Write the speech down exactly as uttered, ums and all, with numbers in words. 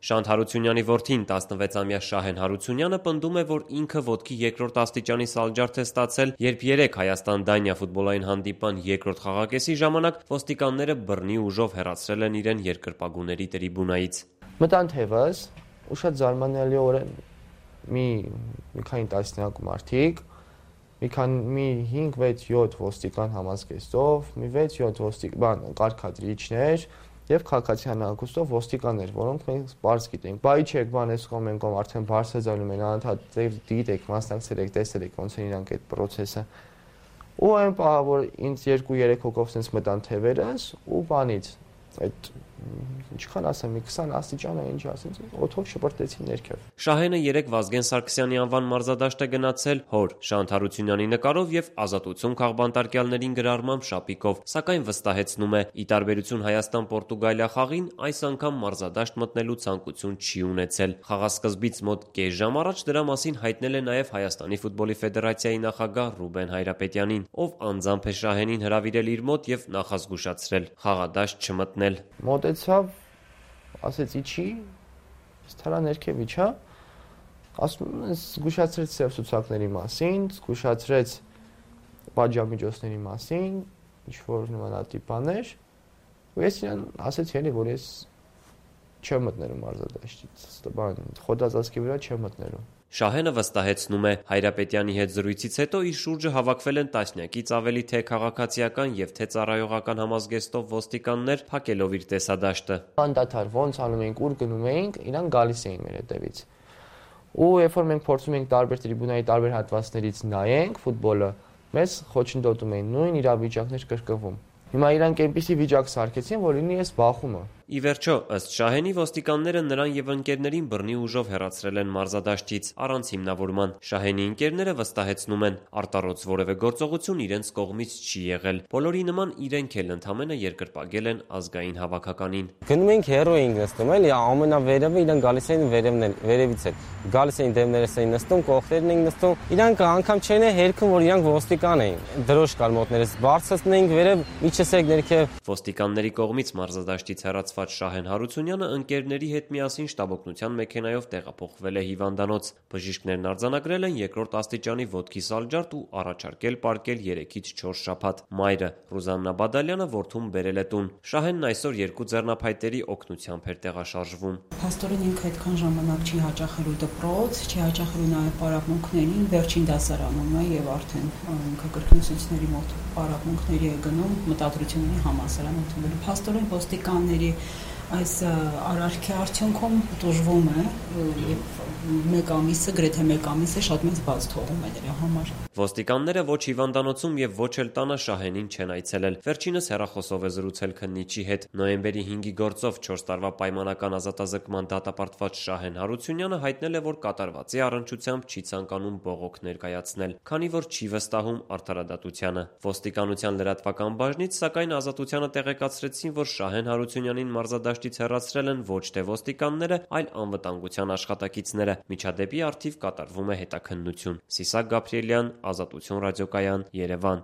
Շանթ Հարությունյանի որդին տասնվեցամյա Շահեն Հարությունյանը պնդում է, որ ինքը ոտքի երկրորդ աստիճանի սալջարդ է ստացել, երբ երեկ Հայաստան-Դանիա ֆուտբոլային հանդիպման երկրորդ խաղակեսի ժամանակ ոստիկանները բռնի ուժով հեռացրել են իրեն երկրպագուների տրիբունայից։ Մտան թևս ու շատ զարմանալիորեն մի մի քանի տասնյակ մարդիկ, մի քանի մի հինգ վեց յոթ ոստիկան համազգեստով, մի վեց յոթ ոստիկան կարգադրիչներ եւ քաղաքացիական հագուստով ոստիկաններ, որոնք մենք բարձ գիտենք։ Բայ չեք, բան էս կողմ ենք, արդեն բարձրացնում են, անընդհատ դիտեք, մասնակցել եք, տեսել եք ոնց են իրանք այդ process-ը։ Ու այն պահը, որ ինձ երկու երեք հոգով sense մտան թևերս ու բանից այդ ինչքան ասեմ, մի քսան աստիճան է, ինչ ասենց, օդով շպրտեցին ներքև։ Շահենը երեկ Վազգեն Սարգսյանի անվան մարզադաշտ է գնացել հոր Շանթ Հարությունյանի նկարով եւ Ազատություն քաղբանտարկյալներին գրառմամբ շապիկով, սակայն վստահեցնում է՝ ի տարբերություն Հայաստան-Պորտուգալիա խաղին, այս անգամ մարզադաշտ մտնելու ցանկություն չի ունեցել։ Խաղասկզբից մոտ կես ժամ առաջ դրա մասին հայտնել է նաեւ Հայաստանի ֆուտբոլի ֆեդերացիայի նախագահ Ռուբեն Հայրապետյանին, ով անձամբ է Շահենին հրավիրել իր մոտ եւ նախազգուշացրել խաղադաշտ չմտնել։ Մոտեցավ, ասեց իջի, ստարա ներքև իջա, ասում է զգուշացրեց սև ցուցակների մասին, զգուշացրեց պատժամիջոցների մասին, ինչ-որ նմանատիպ բաներ, ու ես իրան ասեցի էլի, որ ես չեմ մտնելու մարզադաշտից, բան, խոտածածկի վրա չեմ մտնելու։ Շահենը վստահեցնում է՝ Հայրապետյանի հետ զրույցից հետո իր շուրջը հավաքվել են տասնյակից ավելի թե քաղաքացիական եւ թե ծառայողական համազգեստով ոստիկաններ, փակելով իր տեսադաշտը։ Անդադար ոնց անում էինք, ուր գնում էինք, իրանք գալիս էին մեր հետևից։ Ու երբ որ մենք փորձում էինք տարբեր տրիբունայի տարբեր հատվածներից նայենք ֆուտբոլը, մեզ խոչընդոտում էին, նույն իրավիճակներ կրկնվում։ Հիմա իրանք այնպիսի վիճակ սարքեցին, որ լինի ես բախումը։ Ի վերջո, ըստ Շահենի, ոստիկանները նրան եւ ընկերներին բռնի ուժով հեռացրել են մարզադաշտից առանց հիմնավորման։ Շահենի ընկերները վստահեցնում են՝ արտառոց որևէ գործողություն իրենց կողմից չի եղել։ Բոլորի նման իրենք էլ ընդամենը երկրպագել են ազգային հավաքականին։ Գնում ենք հերո էինք նստում, էլի ամենավերևը իրենք գալիս էին վերևն վերևից էլ։ Գալիս էին դեմներս էին նստում, կողքերն էին նստում։ Իրանք անգամ չեն հերքում, որ իրանք ոստիկան էին։ Դրոշ կար մոտներս, բարձրացնում էինք վերև, միջսեք ներքև։ Ոստիկանների կողմից մարզադաշտից հեռացված Շահեն Հարությունյանը ընկերների հետ միասին շտաբօգնության մեքենայով տեղափոխվել է հիվանդանոց։ Բժիշկներն արձանագրել են երկրորդ աստիճանի ոտքի սալջարդ ու առաջարկել պարկել երեքից չորս շաբաթ։ Մայրը Ռուզաննա Բադալյանը որդուն բերել է տուն։ Շահենն այսօր երկու ձեռնափայտերի օգնությամբ էր տեղաշարժվում։ Փաստորեն ինքը այդքան ժամանակ չի հաճախելու դպրոց, չի հաճախելու նաև պարապմունքներին, վերջին դասարանում է եւ արդեն ինքը կրկնուսուցիչների մոտ պարապմունքների է գնում մտադրությունների համալսարան ընդունելու։ Փաստորեն ոստիկանների այս արարքի արդյունքում տուժվում է եւ մեկ ամիսը, գրեթե մեկ ամիսը շատ մեծ բաց թողում է նրա համար։ Ոստիկանները ոչ հիվանդանոցում եւ ոչ էլ տանը Շահենին չեն այցելել։ Վերջինս հեռախոսով է զրուցել քննիչի հետ։ Նոյեմբերի հինգի գործով չորս տարվա պայմանական ազատազրկման դատապարտված Շահեն Հարությունյանը հայտնել է, որ կատարվածի առնչությամբ չի ցանկանում բողոք ներկայացնել, քանի որ չի վստահում արդարադատությանը։ Ոստիկանության լրատվական բաժնից սակայն ազատությանը տեղեկացրեցին, որ Շահեն Հարությունյանին մարզադաշտից հեռացրել են ոչ թե ոստիկանները, այլ անվտանգության աշխատակիցները։ Միջադեպի առթիվ կատարվում է հետաքննություն։ Սիսակ Գաբրիելյան, Ազատություն ռադիոկայան, Երևան։